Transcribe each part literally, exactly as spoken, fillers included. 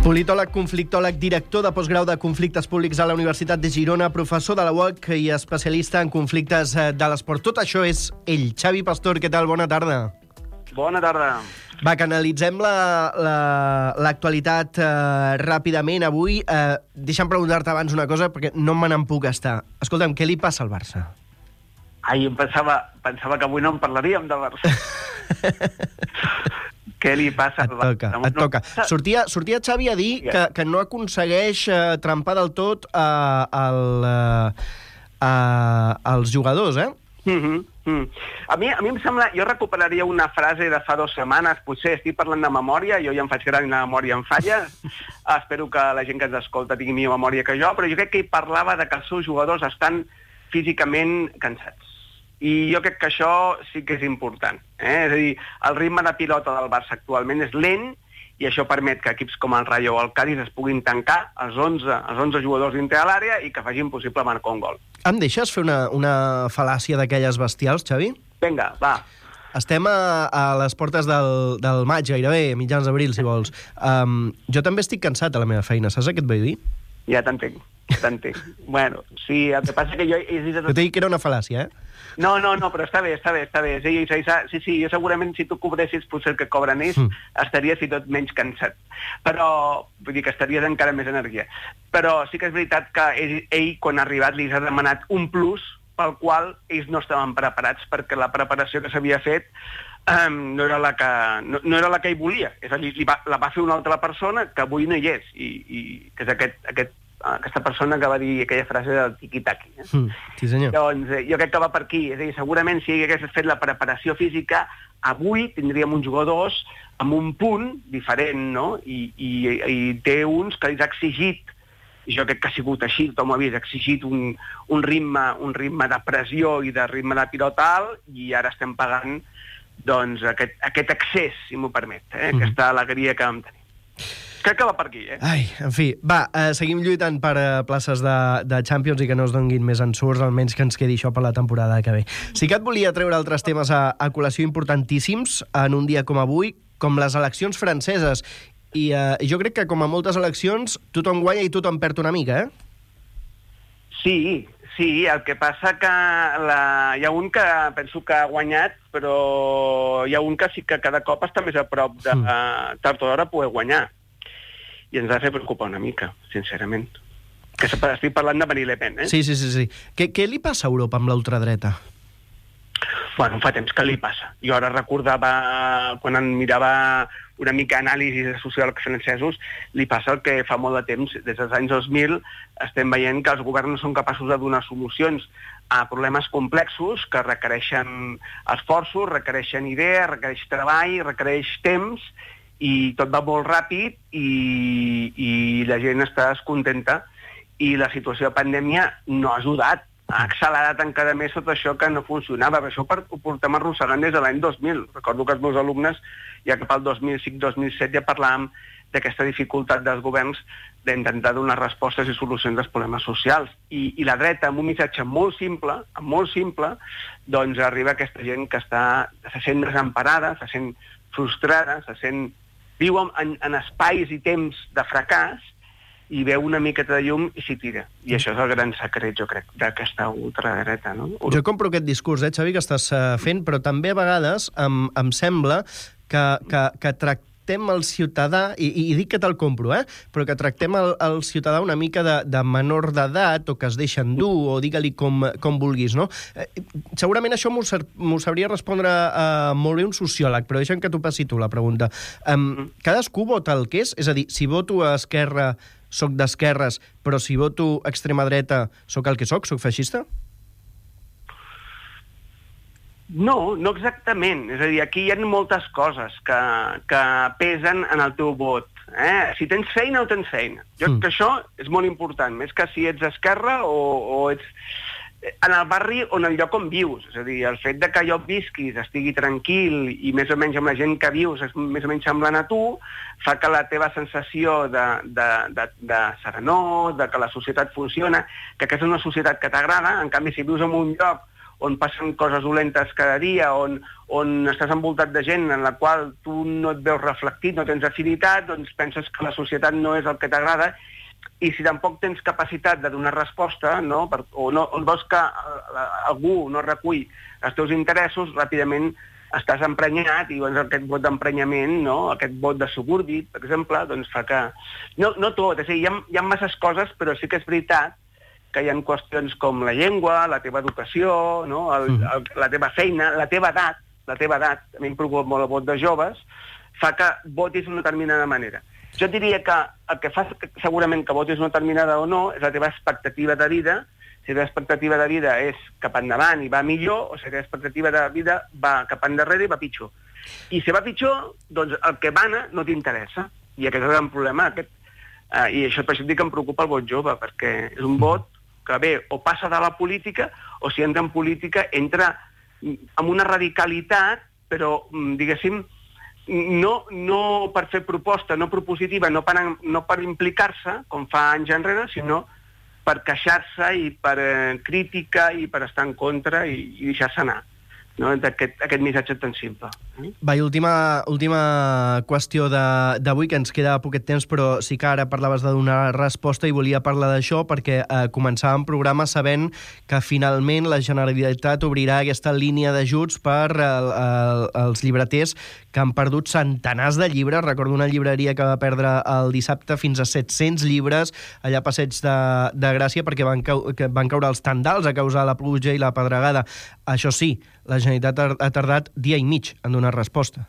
Politòleg, conflictòleg, director de postgrau de conflictes públics a la Universitat de Girona, professor de la U O C i especialista en conflictes de l'esport. Tot això és ell. Xavi Pastor, què tal? Bona tarda. Bona tarda. Va, que analitzem l'actualitat la, la, eh, ràpidament avui. Eh, deixa'm preguntar-te abans una cosa, perquè no me n'en puc estar. Escolta'm, què li passa al Barça? Ai, em pensava, pensava que avui no en parlaríem del Barça. Què li passa al Barça? Et toca, et toca. Sortia, sortia Xavi a dir que, que no aconsegueix eh, trempar del tot eh, el, eh, els jugadors, eh? Mm -hmm. mm. A mi, a mi em sembla... Jo recuperaria una frase de fa dues setmanes, potser estic parlant de memòria, jo ja em faig gran i la memòria em falla, espero que la gent que ens escolta tingui millor memòria que jo, però jo crec que ell parlava de que els seus jugadors estan físicament cansats. I jo crec que això sí que és important. Eh? És a dir, el ritme de pilota del Barça actualment és lent i això permet que equips com el Rayo o el Cádiz es puguin tancar els onze, els onze jugadors dintre de l'àrea i que facin possible marcar un gol. Em deixes fer una, una fal·làcia d'aquelles bestials, Xavi? Vinga, va. Estem a, a les portes del, del maig, gairebé, mitjans d'abril, si vols. Um, jo també estic cansat a la meva feina, saps què et vull dir? Ja t'entenc, ja t'entenc. Bueno, sí, el que passa que jo... Jo t'he dit que era una fal·làcia, eh? No, no, no, però està bé, està bé, està bé. Sí, sí, sí, sí, jo segurament si tu cobressis potser el que cobren ells, mm. estaries i tot menys cansat. Però, vull dir que estaries encara més energia. Però sí que és veritat que ell, ell quan ha arribat, li ha demanat un plus pel qual ells no estaven preparats, perquè la preparació que s'havia fet um, no, era la que, no, no era la que ell volia. És a dir, li va, la va fer una altra persona que avui no hi és, i, i que és aquest... aquest aquesta persona que va dir aquella frase del tiqui-taqui. Eh? Mm, sí, senyor. Doncs eh, jo crec que va per aquí. És a dir, segurament si hagués fet la preparació física, avui tindríem uns jugadors amb un punt diferent, no? I, i, i té uns que els ha exigit, i jo crec que ha sigut així, tothom ho ha vist, ha exigit un, un, ritme, un ritme de pressió i de ritme de pilota alt, i ara estem pagant doncs, aquest, aquest accés, si m'ho permet, eh? Mm. Aquesta alegria que vam tenir. Crec que va per aquí, eh? Ai, en fi, va, eh, seguim lluitant per eh, places de, de Champions i que no es donguin més ensurts, almenys que ens quedi això per la temporada que ve. Sí que et volia treure altres temes a, a col·lació importantíssims en un dia com avui, com les eleccions franceses. I eh, jo crec que, com a moltes eleccions, tothom guanya i tothom perd una mica, eh? Sí, sí, el que passa que la... hi ha un que penso que ha guanyat, però hi ha un que sí que cada cop està més a prop de mm. tard o d'hora poder guanyar. I ens ha de fer preocupar una mica, sincerament. Que estic parlant de Marine Le Pen, eh? Sí, sí, sí. sí. Què, què li passa a Europa amb l'ultradreta? Bueno, fa temps que li passa. Jo ara recordava, quan em mirava una mica anàlisis de sociòlegs francesos, li passa el que fa molt de temps, des dels anys dos mil, estem veient que els governs no són capaços de donar solucions a problemes complexos que requereixen esforços, requereixen idees, requereix treball, requereix temps, i tot va molt ràpid i, i la gent està descontenta i la situació de pandèmia no ha ajudat, ha accelerat encara més tot això que no funcionava. Per això ho portem arrossegant des de l'any dos mil. Recordo que els meus alumnes, ja cap al dos mil cinc dos mil set, ja parlàvem d'aquesta dificultat dels governs d'intentar donar respostes i solucions als problemes socials. I, i la dreta, amb un missatge molt simple, molt simple, doncs arriba aquesta gent que està, se sent desemparada, se sent frustrada, se sent... viu en, en espais i temps de fracàs i veu una miqueta de llum i s'hi tira. I això és el gran secret, jo crec, d'aquesta ultradreta, no? Jo compro aquest discurs, eh, Xavi, que estàs uh, fent, però també a vegades em, em sembla que, que, que tractem el ciutadà, i, i dic que te'l compro, eh, però que tractem el, el ciutadà una mica de, de menor d'edat, o que es deixen dur, o digue-li com, com vulguis, no? Eh, segurament això m'ho sabria respondre uh, molt bé un sociòleg, però deixa'm que t'ho passi tu la pregunta. Um, cadascú vota el que és? És a dir, si voto a Esquerra, soc d'esquerres, però si voto a extrema dreta, soc el que soc? Soc feixista? No, no exactament. És a dir, aquí hi ha moltes coses que, que pesen en el teu vot. Eh? Si tens feina o tens feina. Jo crec mm. que això és molt important, més que si ets d'esquerra o, o ets en el barri o en el lloc on vius. És a dir, el fet de que allò visquis, estigui tranquil i més o menys amb la gent que vius és més o menys semblant a tu, fa que la teva sensació de, de, de, de serenor, de que la societat funciona, que aquesta és una societat que t'agrada. En canvi, si vius en un lloc on passen coses dolentes cada dia, on, on estàs envoltat de gent en la qual tu no et veus reflectit, no tens afinitat, doncs penses que la societat no és el que t'agrada, i si tampoc tens capacitat de donar resposta, no? Per, o, no, o veus que algú no recull els teus interessos, ràpidament estàs emprenyat, i doncs aquest vot d'emprenyament, no? Aquest vot de subúrbit, per exemple, doncs fa que... No, no tot, és a dir, hi ha, hi ha masses coses, però sí que és veritat que hi ha qüestions com la llengua, la teva educació, no? el, el, la teva feina, la teva edat, la teva edat, a mi em preocupa molt el vot de joves, fa que votis d'una determinada manera. Jo diria que el que fa segurament que votis d'una determinada o no és la teva expectativa de vida. Si la teva expectativa de vida és cap endavant i va millor, o si la teva expectativa de vida va cap endarrere i va pitjor. I si va pitjor, doncs el que mana no t'interessa. I aquest és el gran problema. Aquest, eh, I això per això dic que em preocupa el vot jove, perquè és un vot que bé, o passa de la política, o si entra en política, entra amb una radicalitat, però, diguéssim, no, no per fer proposta, no propositiva, no per, no per implicar-se, com fa anys enrere, sinó per queixar-se i per eh, crítica i per estar en contra i, i deixar-se anar. No? Aquest, aquest missatge tan simple. Va, i última, última qüestió d'avui, que ens queda poquet temps, però sí que ara parlaves de donar resposta i volia parlar d'això perquè eh, començàvem programa sabent que finalment la Generalitat obrirà aquesta línia d'ajuts per el, el, els llibreters que han perdut centenars de llibres. Recordo una llibreria que va perdre el dissabte fins a set-cents llibres allà a Passeig de, de Gràcia perquè van, cau, que van caure els tendals a causa de la pluja i la pedregada. Això sí, la Generalitat ha tardat dia i mig en donar resposta.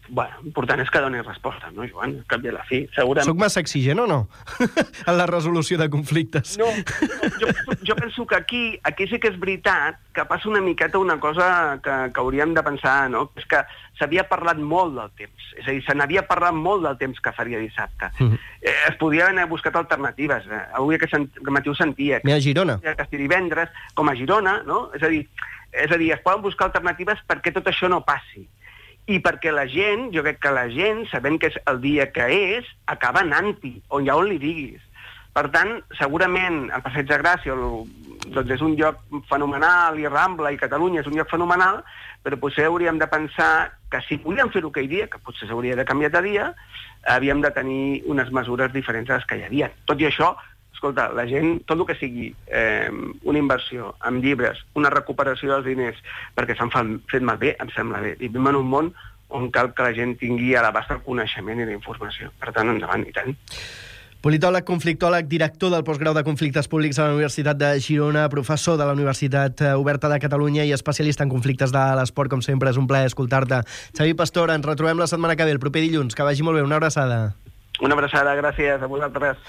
Bueno, l'important és que doni resposta, no, Joan? Al cap i a la fi, segurament... Soc massa exigent o no? En la resolució de conflictes. No, jo, jo penso que aquí, aquí sí que és veritat que passa una miqueta una cosa que, que hauríem de pensar, no? És que s'havia parlat molt del temps. És a dir, se n'havia parlat molt del temps que faria dissabte. Mm-hmm. eh, es podien haver buscat alternatives. Eh? Avui aquest sent, matí ho sentia. Que a Girona. Que estigui divendres, com a Girona, no? És a dir, és a dir, es poden buscar alternatives perquè tot això no passi. I perquè la gent, jo crec que la gent, sabent que és el dia que és, acaba anant-hi, on ja on li diguis. Per tant, segurament el Passeig de Gràcia doncs és un lloc fenomenal, i Rambla i Catalunya és un lloc fenomenal, però potser hauríem de pensar que si podíem fer-ho aquell dia, que potser s'hauria de canviar de dia, havíem de tenir unes mesures diferents a les que hi havia. Tot i això, escolta, la gent, tot el que sigui eh, una inversió en llibres, una recuperació dels diners, perquè s'han fet malbé, em sembla bé. I vivim en un món on cal que la gent tingui a l'abast el coneixement i la informació. Per tant, endavant, i tant. Politòleg, conflictòleg, director del postgrau de conflictes públics a la Universitat de Girona, professor de la Universitat Oberta de Catalunya i especialista en conflictes de l'esport, com sempre, és un plaer escoltar-te. Xavi Pastor, ens retrobem la setmana que ve, el proper dilluns. Que vagi molt bé, una abraçada. Una abraçada, gràcies a vosaltres.